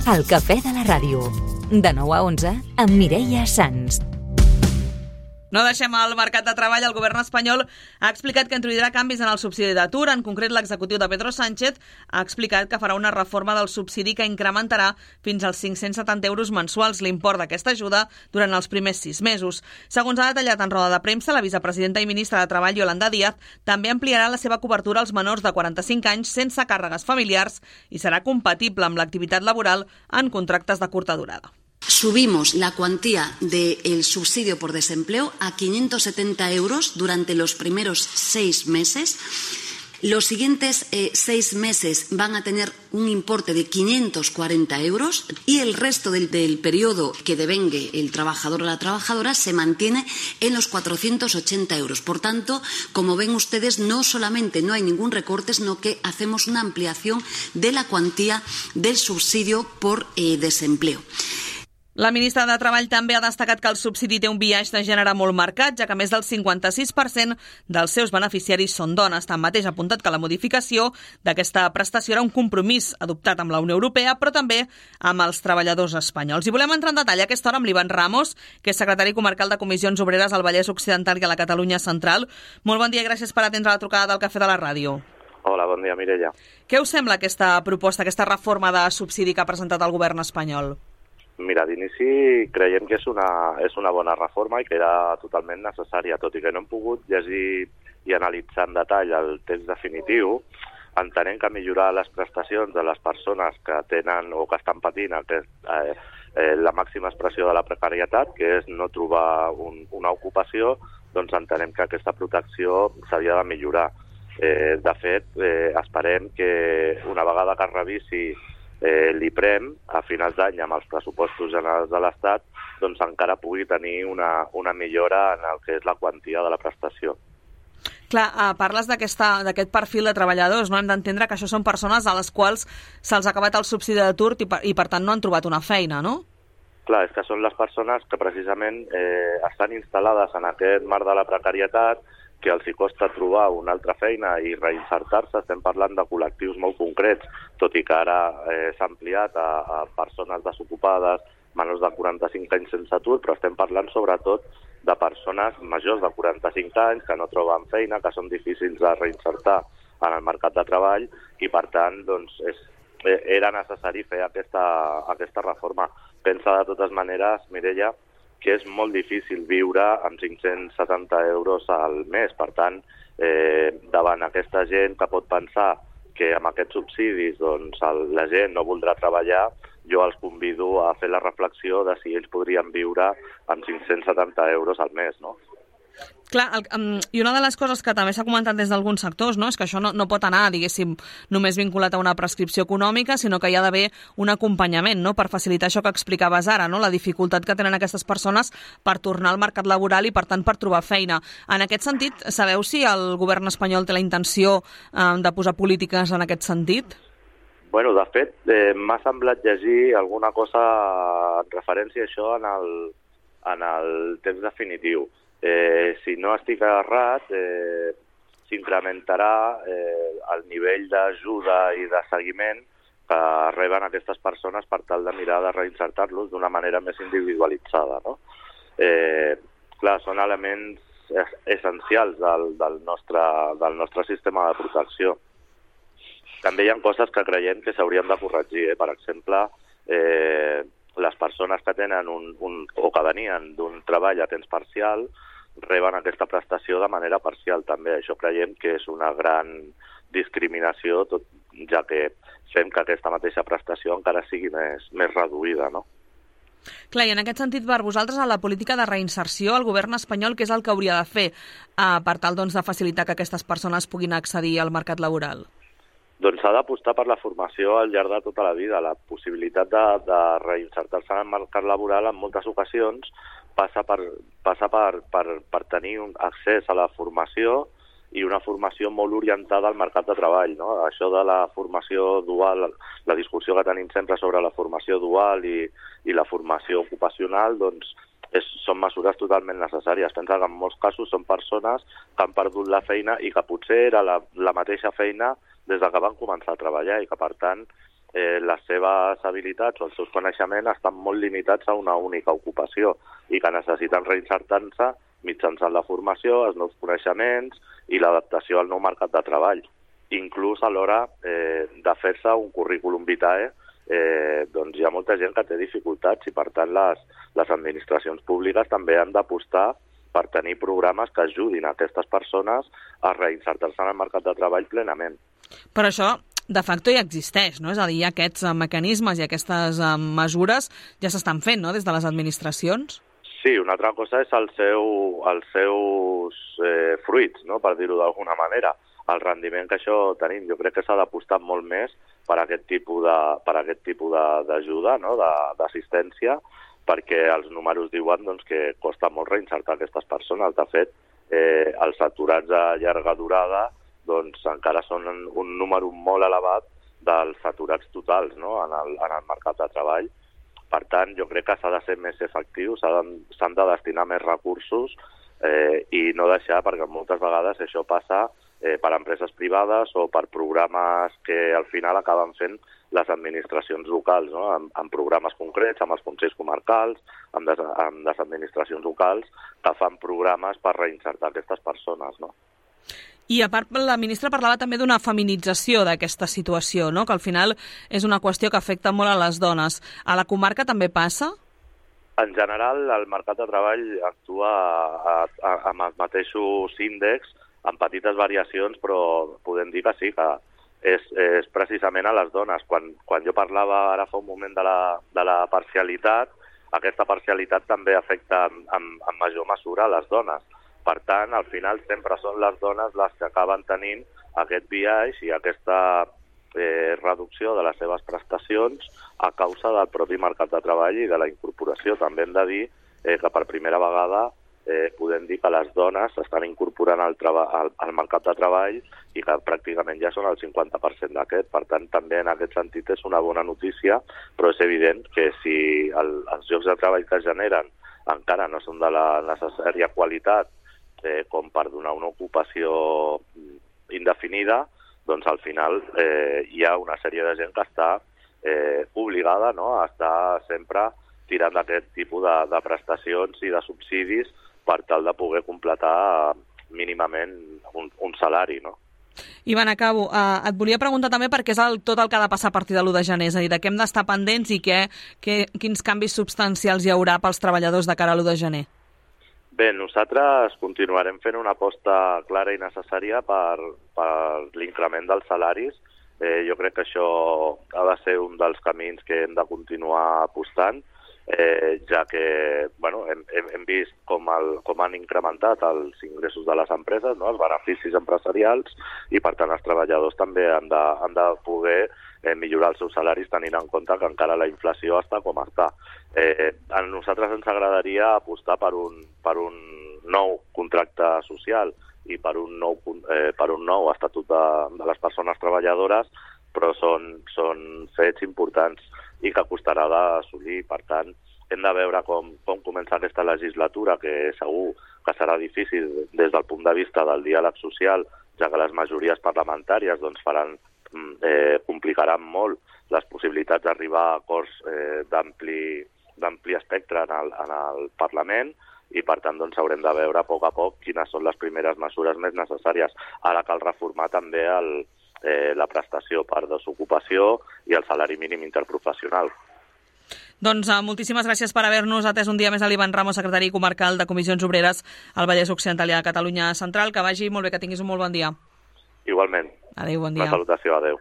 El cafè de la ràdio. De 9 a 11 amb Mireia Sans. No deixem el mercat de treball. El govern espanyol ha explicat que introduirà canvis en el subsidi d'atur. En concret, l'executiu de Pedro Sánchez ha explicat que farà una reforma del subsidi que incrementarà fins als 570 euros mensuals l'import d'aquesta ajuda durant els primers 6 mesos. Segons ha detallat en roda de premsa, la vicepresidenta i ministra de Treball, Yolanda Díaz, també ampliarà la seva cobertura als menors de 45 anys sense càrregues familiars i serà compatible amb l'activitat laboral en contractes de curta durada. Subimos la cuantía del subsidio por desempleo a 570 euros durante los primeros 6 meses. Los siguientes 6 meses van a tener un importe de 540 euros y el resto del periodo que devengue el trabajador o la trabajadora se mantiene en los 480 euros. Por tanto, como ven ustedes, no solamente no hay ningún recorte, sino que hacemos una ampliación de la cuantía del subsidio por desempleo. La ministra de Treball també ha destacat que el subsidi té un biaix de gènere molt marcat, ja que més del 56% dels seus beneficiaris són dones. Tanmateix ha apuntat que la modificació d'aquesta prestació era un compromís adoptat amb la Unió Europea, però també amb els treballadors espanyols. I volem entrar en detall a aquesta hora amb l'Ivan Ramos, que és secretari comarcal de Comissions Obreres al Vallès Occidental i a la Catalunya Central. Molt bon dia i gràcies per atendre la trucada del Cafè de la Ràdio. Hola, bon dia, Mireia. Què us sembla aquesta proposta, aquesta reforma de subsidi que ha presentat el govern espanyol? Mira, d'inici creiem que és una bona reforma i que era totalment necessària, tot i que no hem pogut llegir i analitzar en detall el text definitiu. Entenem que millorar les prestacions de les persones que tenen o que estan patint la màxima expressió de la precarietat, que és no trobar una ocupació, doncs entenem que aquesta protecció s'havia de millorar. De fet, esperem que una vegada que es revisi l'IPREM a finals d'any amb els pressupostos generals de l'Estat, doncs encara pugui tenir una millora en el que és la quantia de la prestació. Clar, parles d'aquest perfil de treballadors, no? Hem d'entendre que això són persones a les quals se'ls ha acabat el subsidi d'atur i per tant no han trobat una feina, no? Clar, és que són les persones que precisament estan instal·lades en aquest marc de la precarietat, que els hi costa trobar una altra feina i reinsertar-se. Estem parlant de col·lectius molt concrets, tot i que ara s'ha ampliat a persones desocupades, menors de 45 anys sense atur, però estem parlant sobretot de persones majors de 45 anys que no troben feina, que són difícils de reinsertar en el mercat de treball i, per tant, doncs, era necessari fer aquesta reforma. Pensa de totes maneres, Mireia, que és molt difícil viure amb 570 euros al mes. Per tant, davant aquesta gent que pot pensar que amb aquests subsidis doncs, la gent no voldrà treballar, jo els convido a fer la reflexió de si ells podrien viure amb 570 euros al mes, no? Clar, i una de les coses que també s'ha comentat des d'alguns sectors, no, és que això no pot anar, diguéssim, només vinculat a una prescripció econòmica, sinó que hi ha d'haver un acompanyament, no?, per facilitar això que explicaves ara, no?, la dificultat que tenen aquestes persones per tornar al mercat laboral i, per tant, per trobar feina. En aquest sentit, sabeu si el govern espanyol té la intenció de posar polítiques en aquest sentit? Bueno, de fet, m'ha semblat llegir alguna cosa en referència a això en el text definitiu. Si no estic errat, s'incrementarà el nivell d'ajuda i de seguiment que reben aquestes persones per tal de mirar de reinsertar-los d'una manera més individualitzada, no? Clar, són elements essencials del nostre sistema de protecció. També hi ha coses que creiem que s'haurien de corregir. Per exemple, les persones que tenen o que venien d'un treball a temps parcial reben aquesta prestació de manera parcial també. Això creiem que és una gran discriminació, ja que fem que aquesta mateixa prestació encara sigui més reduïda, no? Clar, i en aquest sentit, per vosaltres, a la política de reinserció, el govern espanyol, què és el que hauria de fer per tal doncs, de facilitar que aquestes persones puguin accedir al mercat laboral? Doncs s'ha d'apostar per la formació al llarg de tota la vida. La possibilitat de reinsertar-se en el mercat laboral en moltes ocasions passa per tenir un accés a la formació i una formació molt orientada al mercat de treball, no? Això de la formació dual, la discussió que tenim sempre sobre la formació dual i la formació ocupacional, doncs són mesures totalment necessàries. Pensa que en molts casos són persones que han perdut la feina i que potser era la mateixa feina des que van començar a treballar i que, per tant, les seves habilitats o els seus coneixements estan molt limitats a una única ocupació i que necessiten reinsertar-se mitjançant la formació, els nous coneixements i l'adaptació al nou mercat de treball. Inclús a l'hora de fer-se un currículum vitae, doncs hi ha molta gent que té dificultats i, per tant, les administracions públiques també han d'apostar per tenir programes que ajudin a aquestes persones a reinsertar-se en el mercat de treball plenament. Però això, de facto, ja existeix, no? És a dir, aquests mecanismes i aquestes mesures ja s'estan fent, no?, des de les administracions. Sí, una altra cosa és els seus fruits, no?, per dir-ho d'alguna manera. El rendiment que això tenim, jo crec que s'ha d'apostar molt més per aquest tipus d'ajuda, no?, d'assistència, perquè els números diuen doncs, que costa molt reinsertar aquestes persones. De fet, els aturats a llarga durada doncs, encara són un número molt elevat dels aturats totals, no?, en el mercat de treball. Per tant, jo crec que s'ha de ser més efectiu, s'han de destinar més recursos i no deixar, perquè moltes vegades això passa per empreses privades o per programes que al final acaben fent les administracions locals, no?, en programes concrets, amb els consells comarcals, amb les administracions locals, que fan programes per reinsertar aquestes persones, no? I a part, la ministra parlava també d'una feminització d'aquesta situació, no?, que al final és una qüestió que afecta molt a les dones. A la comarca també passa? En general, el mercat de treball actua amb els mateixos índexs, amb petites variacions, però podem dir que sí, que és precisament a les dones. Quan jo parlava ara fa un moment de la parcialitat, aquesta parcialitat també afecta en major mesura a les dones. Per tant, al final sempre són les dones les que acaben tenint aquest biaix i aquesta reducció de les seves prestacions a causa del propi mercat de treball i de la incorporació. També hem de dir que per primera vegada podem dir que les dones s'estan incorporant al mercat de treball i que pràcticament ja són el 50% d'aquest. Per tant, també en aquest sentit és una bona notícia, però és evident que si els llocs de treball que es generen encara no són de la necessària qualitat com per donar una ocupació indefinida, doncs al final hi ha una sèrie de gent que està obligada, no?, a estar sempre tirant d'aquest tipus de prestacions i de subsidis per tal de poder completar mínimament un salari, no? Ivan, acabo. Et volia preguntar també per què és tot el que ha de passar a partir de l'1 de gener, és a dir, de què hem d'estar pendents i quins canvis substancials hi haurà pels treballadors de cara a l'1 de gener. Bé, nosaltres continuarem fent una aposta clara i necessària per l'increment dels salaris. Jo crec que això ha de ser un dels camins que hem de continuar apostant, ja que hem vist com han incrementat els ingressos de les empreses, no?, els beneficis empresarials, i per tant els treballadors també han de poder millorar els seus salaris tenint en compte que encara la inflació està com està. A nosaltres ens agradaria apostar per un nou contracte social i per un nou estatut de les persones treballadores, però són fets importants i que costarà d'assolir. Per tant, hem de veure com comença aquesta legislatura, que segur que serà difícil des del punt de vista del diàleg social, ja que les majories parlamentàries doncs, complicaran molt les possibilitats d'arribar a acords d'ampli espectre en el Parlament, i per tant doncs, haurem de veure a poc quines són les primeres mesures més necessàries. Ara cal reformar també la prestació per desocupació i el salari mínim interprofessional. Doncs moltíssimes gràcies per haver-nos atès un dia més a l'Ivan Ramos, secretari comarcal de Comissions Obreres al Vallès Occidental i a Catalunya Central. Que vagi molt bé, que tinguis un molt bon dia. Igualment. Adéu, bon dia. Una salutació, adéu.